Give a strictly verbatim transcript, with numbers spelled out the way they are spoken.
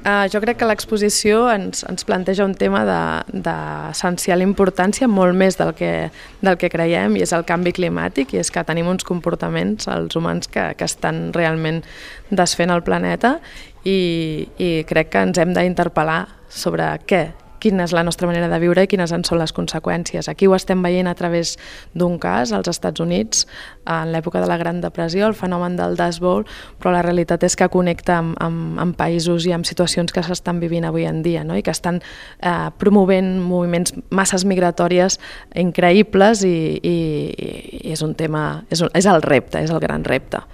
Uh, jo crec que l'exposició ens, ens planteja un tema d'essencial de, importància, molt més del que, del que creiem, i és el canvi climàtic, i és que tenim uns comportaments, els humans, que, que estan realment desfent el planeta, i, i crec que ens hem d'interpel·lar sobre què, quina és la nostra manera de viure i quines en són les conseqüències. Aquí ho estem veient a través d'un cas als Estats Units, en l'època de la Gran Depressió, el fenomen del Dust Bowl, però la realitat és que connecta amb, amb, amb països i amb situacions que s'estan vivint avui en dia, no? I que estan eh, promovent moviments, masses migratòries increïbles, i, i, i és un tema, és, un, és el repte, és el gran repte.